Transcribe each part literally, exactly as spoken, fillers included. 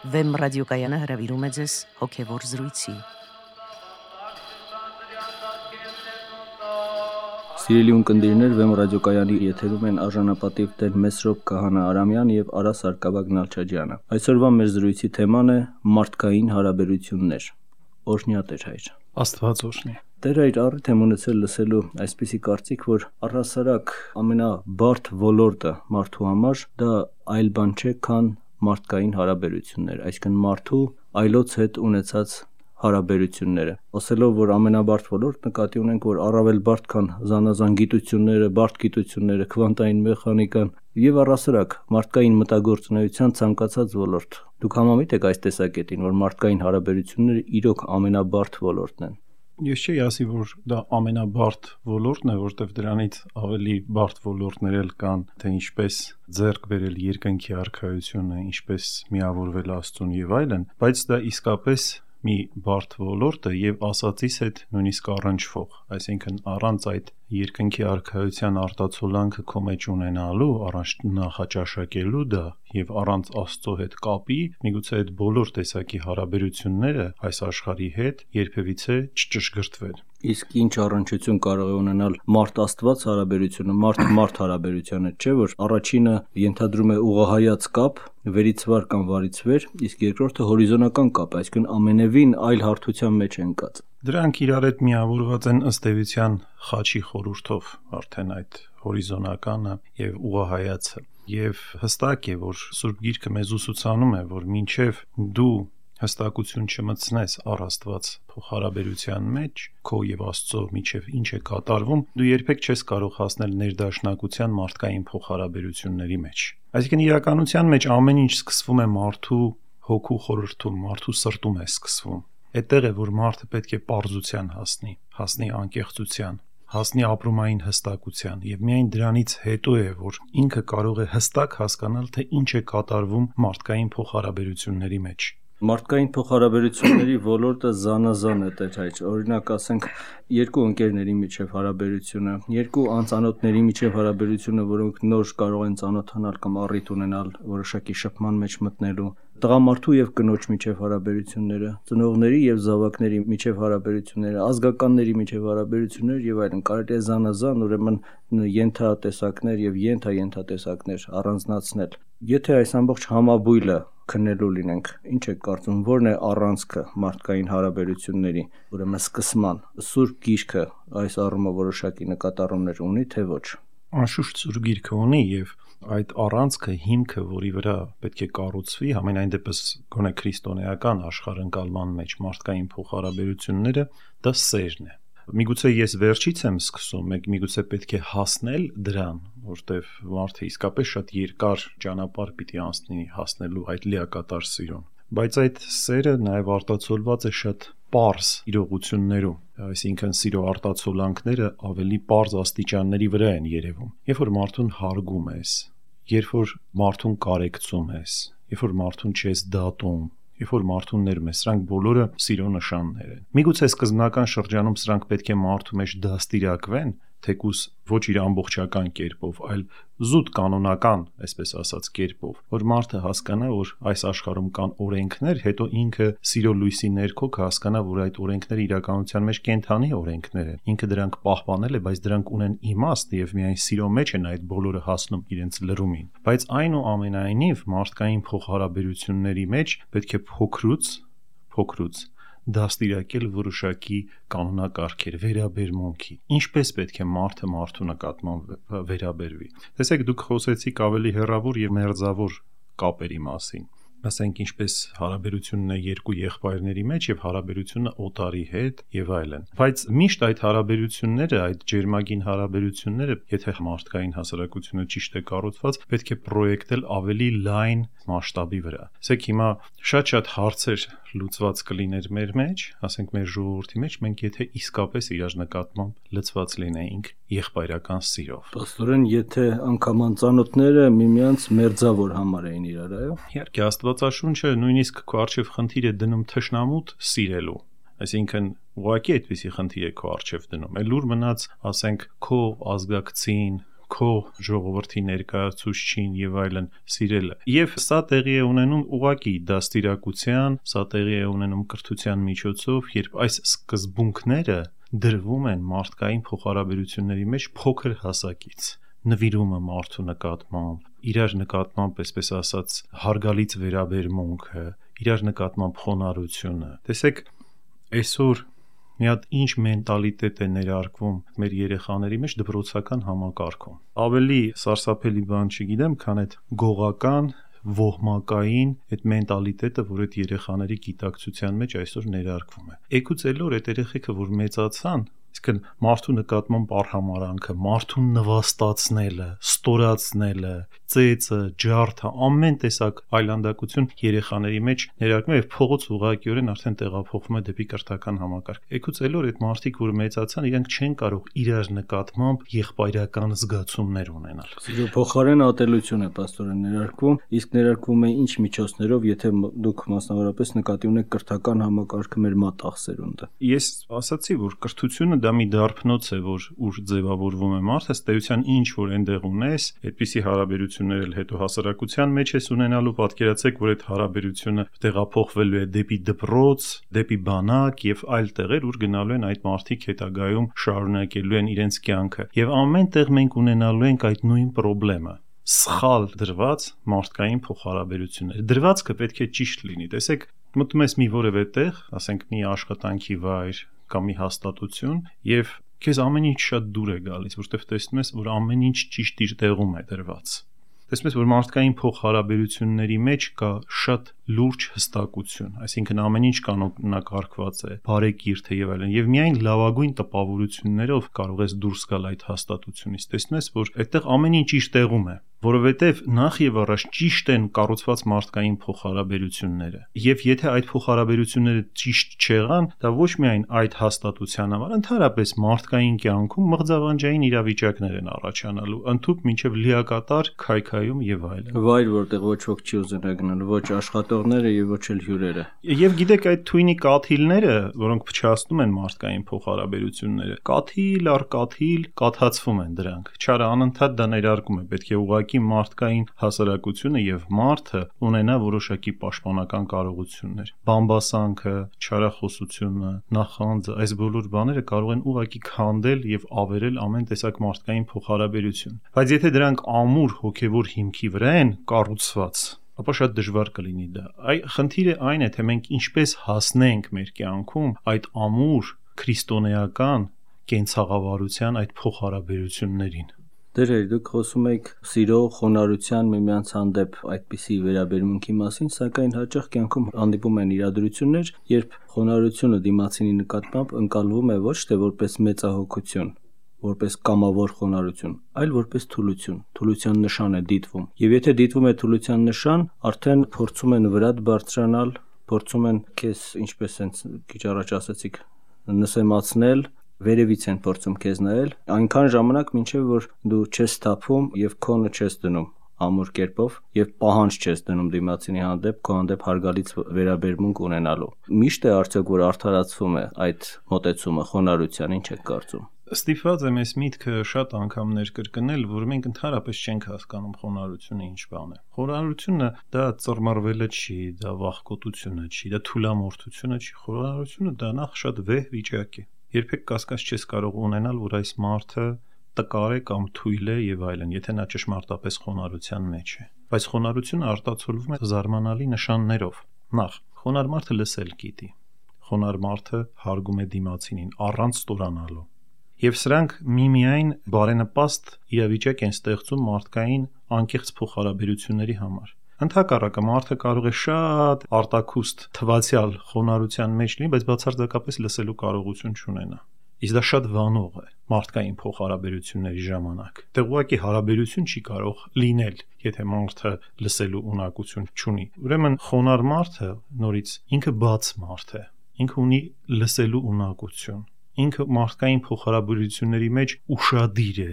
Վեմ ռադիոկայանը հրավիրում է ձեզ հոգևոր զրույցի։ Սիրելի ունկնդիրներ, Վեմ ռադիոկայանի եթերում են արժանապատիվ տեր Մեսրոպ Քահանա Արամյան եւ Արա Սարգսակ Նալչաջյանը։ Այսօրվա մեր զրույցի թեման է մարդկային հարաբերություններ։ Օրհնյա Տեր հայր։ Աստված օրհնի։ Տեր հայր, առիթ եմ ունեցել լսելու այսպիսի կարծիք, որ առհասարակ ամենաբարդ ոլորտը մարդու համար դա այլ բան չէ, քան մարդկային հարաբերություններ, այսինքն մարդու այլոց հետ ունեցած հարաբերությունները։ Ասելով, որ ամենաբարդ ոլորտ նկատի ունենք, որ առավել բարդ քան զանազան գիտությունները, բարդ գիտությունները, քվանտային մեխանիկան եւ առհասարակ մարդկային մտագործունեության ցանկացած ոլորտ։ Դուք համամիտ եք այս տեսակետին, որ մարդկային հարաբերությունները իրոք ամենաբարդ ոլորտն են։ Ես չի ասի, որ դա ամենաբարդ ոլորտն է, որտեղ դրանից ավելի բարդ ոլորտներ էլ կան, թե ինչպես ձեռք բերել երկնքի արքայությունը, ինչպես միավորվել Աստծուն եւ այլն, բայց դա իսկապես մի բարդ ոլորտ է եւ ասածիս հետ նույնիսկ առնչվող, այսինքն առանց այդ երկնքի արքայության արտացոլանքը քո մեջ ունենալու, առանց նախաճաշակելու դա եւ առանց Աստծո հետ կապի, միգուցե այդ բոլոր տեսակի հարաբերությունները այս աշխարհի հետ երբևիցե չճշգրտվեն։ Իսկ ինչ առնչություն կարող է ունենալ մարդ-Աստված հարաբերությունը, մարդ-մարդ հարաբերությունը, չէ՞ որ առաջինը ենթադրում է ուղղահայաց կապ, վերից վար կամ վարից վեր, իսկ երկրորդը հորիզոնական կապ, այսինքն ամենևին այլ հարթության մեջ ընկած։ Դրանք իրար հետ միավորված են ըստ էության խաչի խորհրդով, արդեն այդ հորիզոնականը եւ ուղղահայացը։ Եվ հստակ է, որ Սուրբ Գիրքը մեզ ուսուցանում է, որ մինչև դու հստակություն չմտցնես առ Աստված փոխհարաբերության մեջ, քո եւ Աստծո միջև ինչ է կատարվում, դու երբեք չես կարող հասնել ներդաշնակության մարդկային փոխհարաբերությունների մեջ։ Այսինքն իրականության մեջ ամեն ինչ սկսվում է մարդու հոգու խորհրդում, մարդու սրտում է սկսվում։ Այդտեղ է, որ մարդը պետք է պարզության հասնի, հասնի անկեղծության, հասնի ապրումային հստակության եւ միայն դրանից հետո է, որ ինքը կարող է հստակ հասկանալ, թե ինչ է կատարվում մարդկային փոխհարաբերությունների մեջ։ Մարդկային փոխհարաբերությունների ոլորտը զանազան է, Տեր հայր։ Օրինակ, ասենք, երկու ընկերների միջև հարաբերությունը, երկու անծանոթների միջև հարաբերությունը, որոնք նոր կարող են ծանոթանալ կամ առիթ ունենալ որոշակի շփման մեջ մտնելու, տղամարդու եւ կնոջ միջև հարաբերությունները, ծնողների եւ զավակների միջև հարաբերությունները, ազգականների միջև հարաբերություններ եւ այլն, կարելի է զանազան, ուրեմն ենթատեսակներ եւ ենթաենթատեսակներ առանձնացնել։ Եթե այս ամբողջ համաբույլը քննելու լինենք, ինչ եք կարծում, ո՞րն է առանցքը մարդկային հարաբերությունների, ուրեմն սկսման։ Սուրբ Գիրքը այս առումով որոշակի նկատառումներ ունի, թե ոչ։ Անշուշտ Սուրբ Գիրքը ունի եւ այդ առանցքը, հիմքը, որի վրա պետք է կառուցվի, համենայն դեպս գոնե քրիստոնեական աշխարհընկալման մեջ մարդկային փոխհարաբերությունները, դա սերն է։ Միգուցե ես վերջից եմ սկսում, մեկ միգուցե պետք է հասնել դրան, որտեվ մարդը իսկապես շատ երկար ճանապարհ պիտի անցնի հասնելու այդ լիակատար սիրուն։ Բայց այդ սերը նաև արտացոլված է շատ պարզ իրողություններում, այսինքն սիրո արտացոլանքները ավելի պարզ աստիճանների վրա են երևում։ Երբ որ մարդուն հարգում ես, երբ որ մարդուն կարեկցում ես, երբ որ մարդուն չես դատում, երբ որ մարդուն ներում ես, սրանք բոլորը սիրո նշաններ են։ Միգուցե սկզբնական շրջանում սրանք պետք է մարդու մեջ դաստիարակվեն, թեկուզ ոչ իր ամբողջական կերպով, այլ զուտ կանոնական, այսպես ասած, կերպով, որ մարդը հասկանա, որ այս աշխարհում կան օրենքներ, հետո ինքը սիրո լույսի ներքո կհասկանա, որ այդ օրենքները իրականության մեջ կենդանի օրենքներ են։ Ինքը դրանք պահպանել է, բայց դրանք ունեն իմաստ եւ միայն սիրո մեջ են այդ բոլորը հասնում իրենց լրումին։ Բայց այնուամենայնիվ մարդկային փոխհարաբերությունների մեջ պետք է փոքրուց, փոքրուց դաստիարակել որոշակի կանոնակարգեր, վերաբերմունքի, ինչպես պետք է մարդը մարդու նկատմամբ վերաբերվի։ Տեսեք, դուք խոսեցիք ավելի հեռավոր եւ մերձավոր կապերի մասին, ասենք ինչպես հարաբերությունն է երկու եղբայրների մեջ եւ հարաբերությունը օտարի հետ եւ այլն։ Բայց միշտ այդ հարաբերությունները, այդ ջերմագին հարաբերությունները, եթե մարդկային հասարակությունը ճիշտ է կառուցված, պետք է պրոյեկտել ավելի լայն մասշտաբի վրա։ Ասեք հիմա շատ-շատ հարցեր լուծված կլիներ մեր մեջ, ասենք մեր ժողովրդի մեջ, մենք եթե իսկապես իրար նկատմամբ լծված լինեինք եղբայրական սիրով։ Պաստորեն, եթե անգամ անծանոթները միմյանց մերձավոր համարեին իրար, այո։ Իհարկե, Աստվածաշունչը նույնիսկ քո առջև խնդիր է դնում թշնամուտ սիրելու։ Այսինքն ուղղակի այդպիսի խնդիր է քո առջև դնում։ Էլ ուր մնաց, ասենք, քո ազգակցին, քո ժողովրդի ներկայացուցչին եւ այլն սիրելը։ Եվ սա տեղի է ունենում ուղղակի դաստիարակության, սա տեղի է ունենում կրթության միջոցով, երբ այս սկզբունքները դրվում են մարդկային փոխհարաբերությունների մեջ փոքր հասակից։ Նվիրումը մարդու նկատմամբ, իրար նկատմամբ, այսպես ասած, հարգալից վերաբերմունքը, իրար նկատմամբ խոնարհությունը։ Տեսեք, այսօր մի հատ ինչ մենտալիտետ է ներարկվում մեր երեխաների մեջ դպրոցական համակարգում։ Ավելի սարսափելի բան չգիտեմ, քան այդ գողական, ոհմակային այդ մենտալիտետը, որ այդ երեխաների գիտակցության մեջ այսօր ներարկվում է։ Էգուց էլոր այդ երեխեքը, որ մեծացան, իսկն մարդու նկատմամբ արհամարանքը, մարդուն նվաստացնելը, ստորացնելը, ծեծը, ջարդը, ամեն տեսակ այլանդակություն երեխաների մեջ ներարկվում է եւ փողոց ուղղակիորեն արդեն տեղափոխվում է դեպի կրթական համակարգ։ Էգուց էլոր այդ մարդիկ, որ մեծացան, իրենք չեն կարող իրար նկատմամբ եղբայրական զգացումներ ունենալ։ Սիրո փոխարեն ատելություն է պաստորեն ներարկվում, իսկ ներարկվում է ինչ միջոցներով, եթե դուք մասնավորապես նկատի ունեք կրթական համակարգը մեր մատաղ սերունդը։ Ես ասացի, որ կրթությունը դա մի դարբնոց է, որ ուր ձևավորվում է մարդը, ըստ էության ինչ որ այնտեղ ունես, այդպիսի հարաբերություններ էլ հետո հասարակության մեջ ես ունենալու, պատկերացեք, որ այդ հարաբերությունը տեղափոխվելու է դեպի դպրոց, դեպի բանակ եւ այլ տեղեր, ուր գնալու են այդ մարդիկ հետագայում շարունակելու են իրենց կյանքը։ Եվ ամեն տեղ մենք ունենալու ենք այդ նույն խնդրեմը։ Սխալ դրված մարդկային փոխհարաբերություններ։ Դրվածքը պետք է ճիշտ լինի։ Տեսեք, մտնում ես մի որևէ տեղ, ասենք մի աշխատանքի վայր կամ մի հաստատություն, եւ քեզ ամեն ինչ շատ դուր է գալիս, որտեղ տեսնում ես, որ ամեն ինչ ճիշտ իր տեղում է դրված։ Տեսնում ես, որ մարդկային փոխհարաբերությունների մեջ կա շատ լուրջ հստակություն, այսինքն ամեն ինչ կանոնակարգված է, բարեկիրթ է եւ այլն, եւ միայն լավագույն տպավորություններով կարող ես դուրս գալ այդ հաստատությունից։ Տեսնում ես, որ այդտեղ ամեն ինչ իր տեղում է, որովհետեւ նախ եւ առաջ ճիշտ են կառուցված մարդկային փոխհարաբերությունները։ Եվ եթե այդ փոխհարաբերությունները ճիշտ չեղան, դա ոչ միայն այդ հաստատության համար, ընդհանրապես մարդկային կյանքում մղձավանջային իրավիճակներ են առաջանալու, ընդհուպ մինչեւ լիակատար քայքայում եւ այլն։ Վայր, որտեղ ոչ ոք չի ուզենա գնալ, ոչ աշխատողները եւ ոչ էլ հյուրերը։ Եվ գիտեք, այդ թույնի կաթիլները, որոնք փչացնում են մարդկային փոխհարաբերությունները, կաթիլ առ կաթիլ կաթացվում են դրանք։ Չարը անընդհատ դա ներարկում է, պետք է ուղղակի մարդկային հասարակությունը եւ մարդը ունենա որոշակի պաշտպանական կարողություններ։ Բամբասանքը, չարախոսությունը, նախանձը, այս բոլոր բաները կարող են ուղղակի քանդել եւ ավերել ամեն տեսակ մարդկային փոխհարաբերություն։ Բայց եթե դրանք ամուր հոգեվոր հիմքի վրա են կառուցված, ապա շատ դժվար կլինի դա։ Այ խնդիրը այն է, թե մենք ինչպես հասնենք մեր կյանքում այդ ամուր քրիստոնեական կենցաղավարության այդ փոխհարաբերություններին։ Դերեր, դուք խոսում եք սիրո, խոնարհության, միմյանց հանդեպ այդպիսի վերաբերմունքի մասին, սակայն հաճախ կյանքում հանդիպում են իրադրություններ, երբ խոնարհությունը դիմացինի նկատմամբ ընկալվում է ոչ թե որպես մեծահոգություն, որպես կամավոր խոնարհություն, այլ որպես թուլություն, թուլության նշան է դիտվում։ Եվ եթե դիտվում է թուլության նշան, արդեն փորձում են վրատ բարձրանալ, փորձում են քեզ, ինչպես հենց քիչ առաջ ասացիք, նսեմացնել, վերևից են փորձում քեզ նայել, այնքան ժամանակ մինչև որ դու չես թափում եւ քոնը չես դնում ամուր կերպով եւ պահանջ չես դնում դիմացինի հանդեպ, քո հանդեպ հարգալից վերաբերմունք ունենալու։ Միշտ է արդյոք որ արդարացվում է այդ մոտեցումը խոնարհության, ինչ եք կարծում։ Ստիպված եմ այս միտքը շատ անգամներ կրկնել, որ մենք ընդհանրապես չենք հասկանում խոնարհությունը ինչ բան է։ Խոնարհությունը դա ծռմռվելը չի, դա վախկոտությունը չի, դա թուլամորթությունը չի։ Խոնարհությունը դա նախ շատ վեհ վիճակ է։ Երբեք կասկած չես կարող ունենալ, որ այս մարդը տկար է կամ թույլ է եւ այլն, եթե նա ճշմարտապես խոնարհության մեջ է։ Բայց խոնարհությունը արտացոլվում է զարմանալի նշաններով։ Նախ, խոնարհ մարդը լսել գիտի։ Խոնարհ մարդը հարգում է դիմացինին առանց ստորանալու։ Եվ սրանք միմիայն բարենպաստ իրավիճակ են ստեղծում մարդկային անկեղծ փոխհարաբերությունների համար։ Ընդհակառակը մարդը կարող է շատ արտաքուստ թվացial խոնարհության մեջ լինի, բայց բացարձակապես լսելու կարողություն չունենա։ Իսկ դա շատ վանող է մարդկային փոխհարաբերությունների ժամանակ։ Դե ուղղակի հարաբերություն չի կարող լինել, եթե մարդը լսելու ունակություն չունի։ Ուրեմն խոնարհ մարդը նորից ինքը բաց մարդ է։ Ինքը ունի լսելու ունակություն։ Ինքը մարդկային փոխհարաբերությունների մեջ ուշադիր է,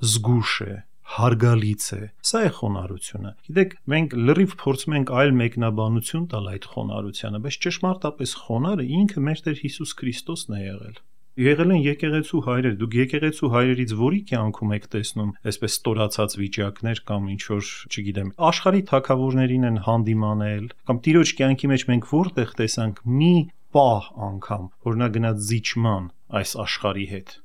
զգուշ է, հարգալից է։ Սա է խոնարհությունը։ Գիտեք, մենք լրիվ փորձում ենք այլ մեկնաբանություն տալ այդ խոնարհությանը, բայց ճշմարտապես խոնարհը ինքը մեր Տեր Հիսուս Քրիստոսն է եղել։ Եղել են եկեղեցու հայրեր, դուք եկեղեցու հայրերից որի կյանքում եք տեսնում այսպես ստորացած վիճակներ կամ ինչ որ, չգիտեմ, աշխարհի թագավորներին են հանդիմանել, կամ տիրոջ կյանքի մեջ մենք որտեղ տեսանք մի պահ անգամ, որ նա գնաց զիջման այս աշխարհի հետ։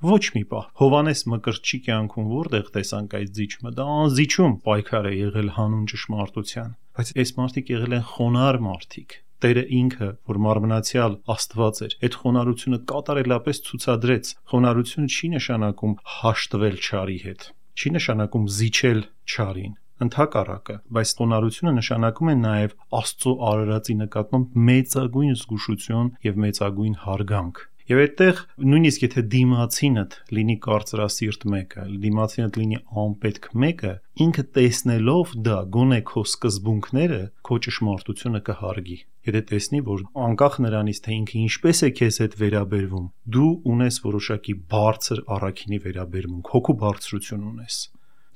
Ոչ մի պահ։ Հովանես Մկրտչի կյանքում որտեղ տեսանք այդ զիջումը, դա անզիջում պայքար է եղել հանուն ճշմարտության, բայց այս մարդիկ եղել են խոնարհ մարդիկ։ Տերը ինքը, որ մարմնացյալ Աստված էր, այդ խոնարհությունը կատարելապես ցուցադրեց։ Խոնարհությունը չի նշանակում հաշտվել չարի հետ, չի նշանակում զիջել չարին, ընդհակառակը, բայց խոնարհությունը նշանակում է նաև Աստծո արարածի նկատմամբ մեծագույն զգուշություն եւ մեծագույն հարգանք։ Եվ այդտեղ նույնիսկ եթե դիմացինդ լինի կարծրասիրտ մեկը, դիմացինդ լինի անպետք մեկը, ինքը տեսնելով դա գոնե քո սկզբունքները, քո ճշմարտությունը կհարգի։ Եթե տեսնի, որ անկախ նրանից, թե ինքը ինչպես է քեզ հետ վերաբերվում, դու ունես որոշակի բարձր առաքինի վերաբերմունք, հոգու բարձրություն ունես։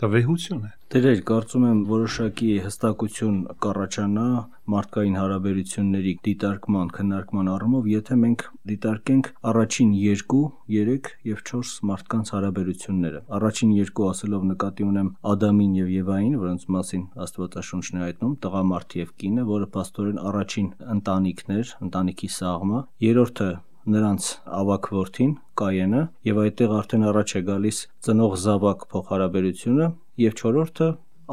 Դա վեհություն է։ Տերեր, կարծում եմ որոշակի հստակություն կառաջանա մարդկային հարաբերությունների դիտարկման, քննարկման առումով, եթե մենք դիտարկենք առաջին երկու, երեք եւ չորս մարդկանց հարաբերությունները։ Առաջին երկու ասելով նկատի ունեմ Ադամին եւ Եվային, որոնց մասին Աստվածաշունչն է հայտնում, տղամարդ եւ կինը, որը փաստորեն առաջին ընտանիքն էր, ընտանիքի սաղմը։ Երրորդը նրանց ավագ որդին Կայենը, եւ այդտեղ արդեն առաջ է գալիս ծնող զավակ փոխհարաբերությունը, եւ չորրորդը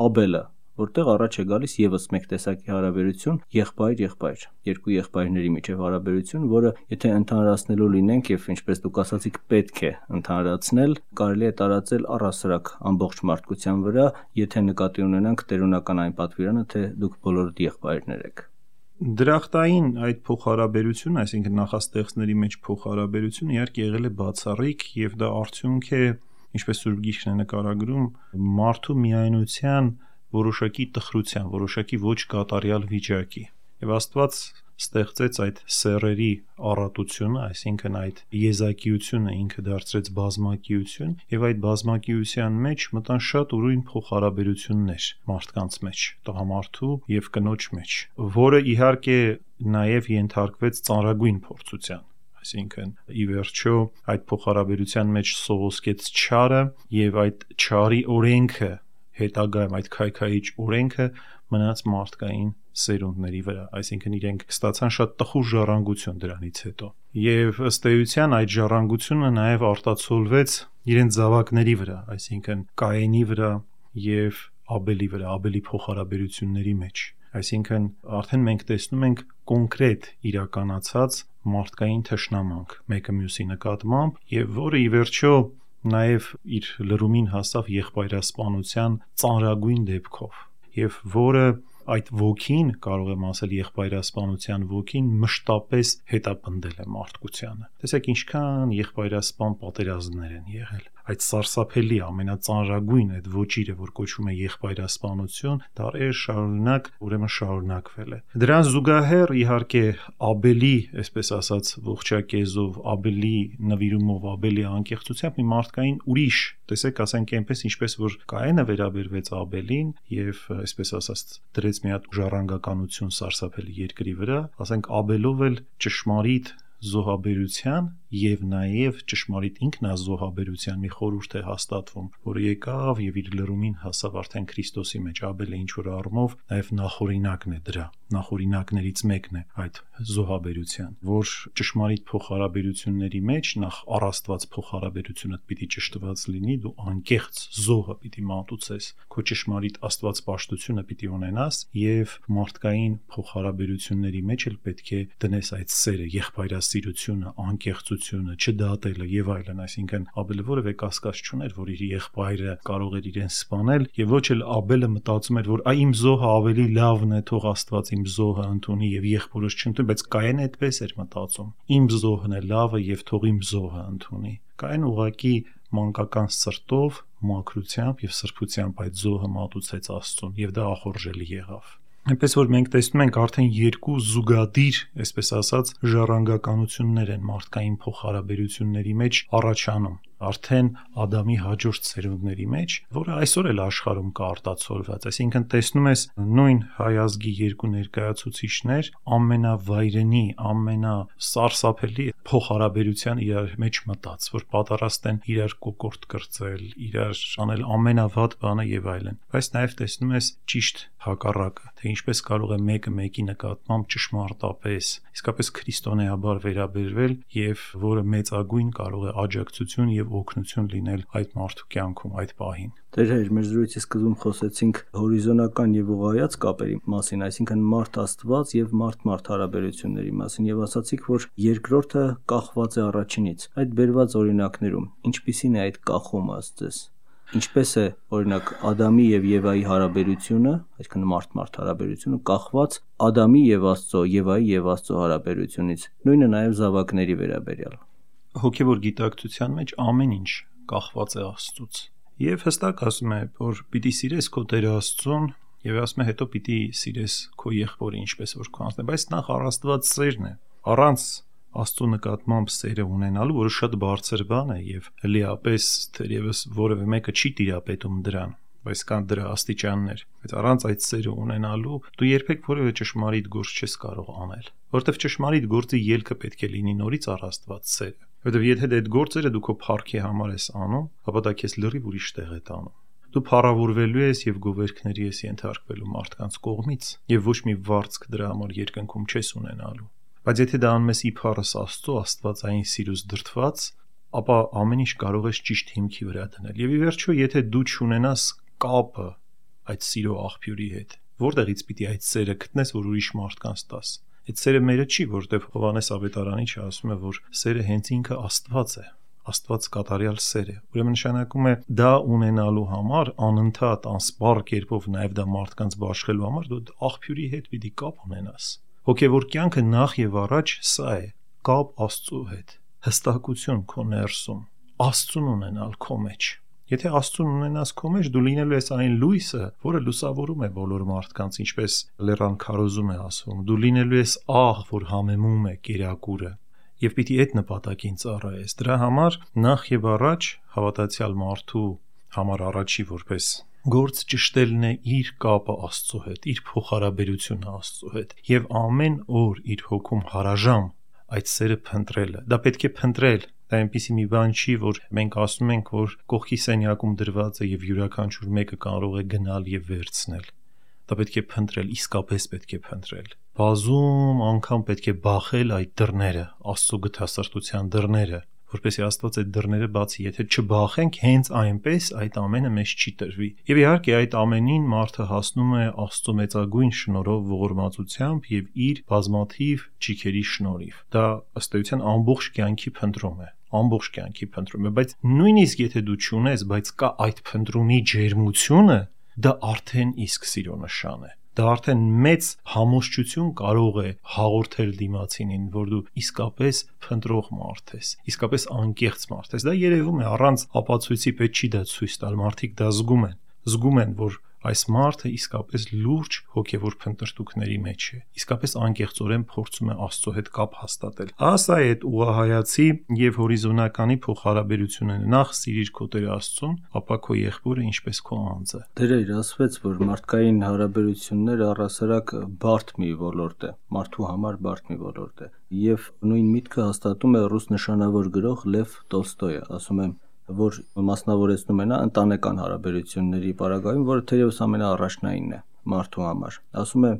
Աբելը, որտեղ առաջ է գալիս եւս մեկ տեսակի հարաբերություն եղբայր-եղբայր, երկու եղբայրների միջև հարաբերություն, որը եթե ընդհանրացնելու լինենք եւ ինչպես դուք ասացիք, պետք է ընդհանրացնել, կարելի է տարածել առհասարակ ամբողջ մարդկության վրա, եթե նկատի ունենանք տերունական այն պատվիրանը, թե դուք բոլորդ եղբայրներ եք։ Դրախտային այդ փոխհարաբերությունը, այսինքն նախաստեղծների մեջ փոխհարաբերությունը իհարկե եղել է բացառիկ եւ դա արդյունք է, ինչպես Սուրբ Գիրքն է նկարագրում, մարդու միայնության որոշակի տխրության, որոշակի ոչ կատարյալ վիճակի։ Եվ Աստված ստեղծեց այդ սեռերի առատությունը, այսինքն այդ եզակիությունը ինքը դարձրեց բազմակիություն, եւ այդ բազմակիության մեջ մտան շատ ուրույն փոխհարաբերություններ մարդկանց մեջ, տղամարդու եւ կնոջ մեջ, որը իհարկե նաեւ ենթարկվեց ծանրագույն փորձության։ Այսինքն ի վերջո այդ փոխհարաբերության մեջ սովոսկեց չարը եւ այդ չարի օրենքը, հետագայում այդ քայքայիչ օրենքը մնաց մարդկային սերունդների վրա, այսինքն իրենք ստացան շատ տխուր ժառանգություն դրանից հետո։ Եվ ըստ էության այդ ժառանգությունը նաև արտացոլվեց իրենց զավակների վրա, այսինքն Կայենի վրա եւ Աբելի վրա, Աբելի փոխհարաբերությունների մեջ։ Այսինքն արդեն մենք տեսնում ենք կոնկրետ իրականացած մարդկային թշնամանք մեկը մյուսի նկատմամբ, եւ որը ի վերջո նաև իր լրումին հասավ եղբայրասպանության ծանրագույն դեպքով, եւ որը այդ ոգին, կարող եմ ասել եղբայրասպանության ոգին, մշտապես հետապնդել է մարդկությանը։ Տեսեք ինչքան եղբայրասպան պատերազմներ են եղել։ Այդ սարսափելի ամենածանրագույն այդ ոճիրը, որ կոչվում է եղբայրասպանություն, դարեր շարունակ ուրեմն շարունակվել է։ Դրան զուգահեռ իհարկե Աբելի, այսպես ասած, ողջակեզով, Աբելի նվիրումով, Աբելի անկեղծությամբ մի մարդկային ուրիշ, տեսեք, ասենք այնպես, ինչպես որ Կայենը վերաբերվեց Աբելին եւ այսպես ասած դրեց մի հատ ժառանգականություն սարսափելի երկրի վրա, ասենք Աբելով էլ ճշմարիտ զոհաբերության եւ նաեւ ճշմարիտ ինքնազոհաբերության մի խորհուրդ է հաստատվում, որը եկավ եւ իր լրումին հասավ արդեն Քրիստոսի մեջ։ Աբելը ինչ որ առումով նաեւ նախօրինակն է դրա, նախօրինակներից մեկն է այդ զոհաբերության, որ ճշմարիտ փոխհարաբերությունների մեջ նախ առաստված փոխհարաբերությունը պիտի ճշտված լինի, դու անկեղծ զոհը պիտի մատուցես, քո ճշմարիտ աստվածպաշտությունը պիտի ունենաս եւ մարդկային փոխհարաբերությունների մեջ էլ պետք է դնես այդ սերը, եղբայրասիրությունը, անկեղծությունը, չդատելը եւ այլն, այսինքն Աբելը որևէ կասկած չուներ, որ իր եղբայրը կարող էր իրեն սպանել եւ ոչ էլ Աբելը մտածում էր, որ այ իմ զոհը ավելի լավն է, թող Աստված իմ զոհը ընդունի եւ եղբորս չընդունի, բայց Կայենը այդպես էր մտածում։ Իմ զոհն է լավը եւ թող իմ զոհը ընդունի։ Կայեն ուղղակի մանկական սրտով, մաքրությամբ եւ սրբությամբ այդ զոհը մատուցեց Աստծուն եւ դա ախորժելի եղավ։ Այնպես որ մենք տեսնում ենք արդեն երկու զուգադիր, այսպես ասած, ժառանգականություններ են մարդկային փոխհարաբերությունների մեջ առաջանում։ արդեն Ադամի հաջորդ սերունդների մեջ, որը այսօր էլ աշխարհում կա արտացոլված, այսինքն տեսնում ես նույն հայ ազգի երկու ներկայացուցիչներ ամենավայրենի, ամենասարսափելի փոխհարաբերության իրար մեջ մտած, որ պատրաստ են իրար կոկորտ կրծել, իրար անել ամենավատ բանը եւ այլն։ Բայց նաեւ տեսնում ես ճիշտ հակառակը, թե ինչպես կարող է մեկը մեկի նկատմամբ ճշմարտապես, իսկապես քրիստոնեաբար վերաբերվել եւ որը մեծագույն կարող է աջակցություն եւ օգնություն լինել այդ մարդու կյանքում այդ պահին։ Տեր Հայր, մեր զրույցի սկզբում խոսեցինք հորիզոնական եւ ուղղայաց կապերի մասին, այսինքն մարդ-Աստված եւ մարդ-մարդ հարաբերությունների մասին եւ ասացիք, որ երկրորդը կախված է առաջինից։ Այդ բերված օրինակներում ինչպիսին է այդ կախումը ըստ ձեզ։ Ինչպես է օրինակ Ադամի եւ Եվայի հարաբերությունը, այսինքն մարդ-մարդ հարաբերությունը կախված Ադամի եւ Աստծո, Եվայի եւ Աստծո հարաբերությունից, նույնը նաեւ զավակների վերաբերյալ։ Հոգեվոր գիտակցության մեջ ամեն ինչ կախված է Աստծուց։ Եվ հստակ ասում է, որ պիտի սիրես քո Տեր Աստծուն, եւ ասում է հետո պիտի սիրես քո եղբորը ինչպես որ քո անձն է, բայց նախ առաստված սերն է։ Առանց Աստծո նկատմամբ սերը ունենալու, որը շատ բարձր բան է եւ հլիապես թերևս որևէ մեկը չի տիրապետում դրան, բայց կան դրա աստիճաններ։ Բայց առանց այդ սերը ունենալու դու երբեք որևէ ճշմարիտ գործ չես կարող անել, որովհետեւ ճշմարիտ գործի ելքը պետք է լինի նորից առաստված սերը։ Որովհետեւ եթե այդ գործերը դու քո փառքի համար ես անում, ապա դա քեզ լրիվ ուրիշ տեղ է տանում։ Դու փառավորվելու ես եւ գովերքների ես ենթարկվելու մարդկանց կողմից եւ ոչ մի վարձք դրա համար երկնքում չես ունենալու։ Բայց եթե դա անում ես իբարս Աստծո աստվածային սիրուց դրդված, ապա ամեն ինչ կարող ես ճիշտ հիմքի վրա դնել։ Եվ ի վերջո, եթե դու չունենաս կապը այդ սիրո աղբյուրի հետ, որտեղից պիտի այդ սերը գտնես, որ ուրիշ մարդկանց տաս։ Այդ սերը մերը չի, որտեղ Հովհաննես Ավետարանիչը ասում է, որ սերը հենց ինքը Աստված է, Աստված կատարյալ սեր է։ Ուրեմն նշանակում է դա ունենալու համար անընդհատ անսպառ կերպով նաև դա մարդկանց բաշխելու համար դու աղբյուրի հետ պիտի կապ ունենաս։ Հոգևոր կյանքը նախ եւ առաջ սա է՝ կապ Աստծո հետ, հստակություն քո ներսում, Աստծուն ունենալ քո մեջ։ Եթե Աստծուն ունենաս քո մեջ, դու լինելու ես այն լույսը, որը լուսավորում է բոլոր մարդկանց, ինչպես Լեռան քարոզում է ասում, դու լինելու ես աղ, որ համեմում է կերակուրը, եւ պիտի այդ նպատակին ծառայես։ Դրա համար նախ եւ առաջ հավատացյալ մարդու համար առաջի որպես գործ ճշտելն է իր կապը Աստծո հետ, իր փոխհարաբերությունը Աստծո հետ եւ ամեն օր իր հոգում հարաժամ այդ սերը փնտրելը։ Դա պետք է փնտրել։ Դա այնպիսի մի բան չի, որ մենք ասում ենք, որ կողքի սենյակում դրված է եւ յուրաքանչյուր մեկը կարող է գնալ եւ վերցնել։ Դա պետք է փնտրել, իսկապես պետք է փնտրել։ Բազում անգամ պետք է բախել այդ դռները, Աստծո գթասրտության դռները, որպեսզի Աստված այդ դռները բացի։ Եթե չբախենք, հենց այնպես այդ ամենը մեզ չի տրվի։ Եվ իհարկե այդ ամենին մարդը հասնում է Աստծո մեծագույն շնորհով, ողորմածությամբ եւ իր բազմաթիվ ճիքերի շնորհիվ։ Դա ըստ էության ամբողջ կյանքի փնտրում է, ամբողջ կյանքի փնտրում է, բայց նույնիսկ եթե դու չունես, բայց կա այդ փնտրումի ջերմությունը, դա արդեն իսկ սիրո նշան է։ Դա արդեն մեծ համոզչություն կարող է հաղորդել դիմացինին, որ դու իսկապես փնտրող մարդ ես, իսկապես անկեղծ մարդ ես։ Դա երևում է առանց ապացույցի պետք չի դա ցույց տալ, մարդիկ դա զգում են, զգում են, որ այս մարդը իսկապես լուրջ հոգևոր փնտրտուքների մեջ է, իսկապես անկեղծորեն փորձում է Աստծո հետ կապ հաստատել։ Ասա է այդ ուղղահայացի եւ հորիզոնականի փոխհարաբերությունը։ Նախ սիրիր քո Տեր Աստծուն, ապա քո եղբորը ինչպես քո անձը։ Դեր ասվեց, որ մարդկային հարաբերությունները առասարակ բարդ մի ոլորտ է, մարդու համար բարդ մի ոլորտ է։ Եվ նույն միտքը հաստատում է ռուս նշանավոր գրող Լև Տոլստոյը, ասում է, որ մասնավորեցնում է նա ընտանեկան հարաբերությունների պարագայում, որը թերևս ամենաառաջնայինն է մարդու համար։ Ասում է,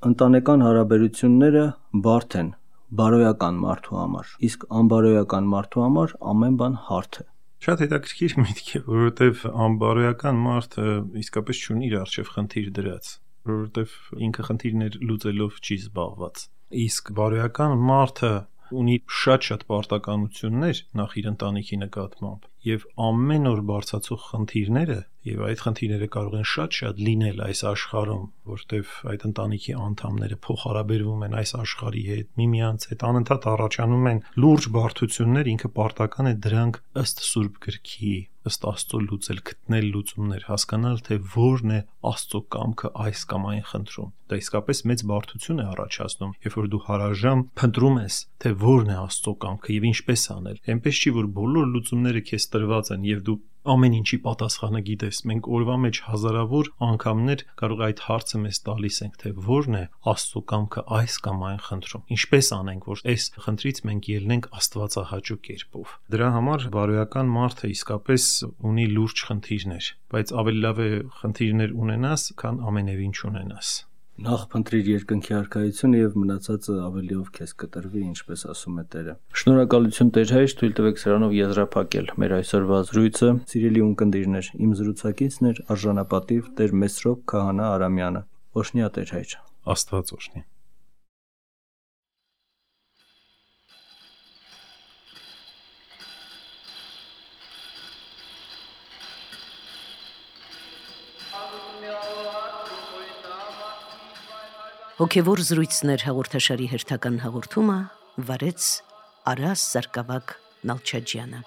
ընտանեկան հարաբերությունները բարդ են բարոյական մարդու համար, իսկ անբարոյական մարդու համար ամեն բան հարթ է։ Շատ հետաքրքիր միտք է, որովհետև անբարոյական մարդը իսկապես չունի իր առջև խնդիր դրած, որովհետև ինքը խնդիրներ լուծելով չի զբաղված։ Իսկ բարոյական մարդը ունի շատ-շատ պարտականություններ նախ իր ընտանիքի նկատմամբ եւ ամեն օր բարձրացող խնդիրները եւ այդ խնդիրները կարող են շատ-շատ լինել այս աշխարհում, որտեվ այդ ընտանիքի անդամները փոխհարաբերվում են այս աշխարհի հետ, միմյանց հետ անընդհատ առաջանում են լուրջ բարդություններ, ինքը պարտական է դրանք ըստ Սուրբ Գրքի, ըստ Աստծո լուծել, գտնել լուծումներ, հասկանալ թե որն է Աստծո կամքը այս կամ այն խնդրում։ Դա իսկապես մեծ բարդություն է առաջացնում, երբ որ դու հարաժամ փնտրում ես, թե որն է Աստծո կամքը եւ ինչպես անել։ Այնպես չի, որ բոլոր լուծումները քեզ տրված են եւ դու ամեն ինչի պատասխանը գիտես։ Մենք օրվա մեջ հազարավոր անգամներ կարող այդ հարցը մեզ տալիս ենք, թե ո՞րն է Աստծո կամքը այս կամ այն խնդրում։ Ինչպես անենք, որ այս խնդրից մենք ելնենք աստվածահաճո կերպով։ Դրա համար բարոյական մարդը իսկապես ունի լուրջ խնդիրներ, բայց ավելի լավ է խնդիրներ ունենաս, քան ամենևին չունենաս։ Նախ փնտրիր երկնքի արքայությունը եւ մնացածը ավելիով քեզ կտրվի, ինչպես ասում է Տերը։ Շնորհակալություն Տեր հայր, թույլ տվեք սրանով եզրափակել մեր այսօրվա զրույցը։ Սիրելի ունկնդիրներ, իմ զրուցակիցն էր արժանապատիվ Տեր Մեսրոպ Քահանա Արամյանը։ Օշնյա Տեր հայր։ Աստված օշնի։ Հոգևոր զրույցներ հաղորդաշարի հերթական հաղորդումը վարեց Արաս Սարգսակ Նալչաջյանը։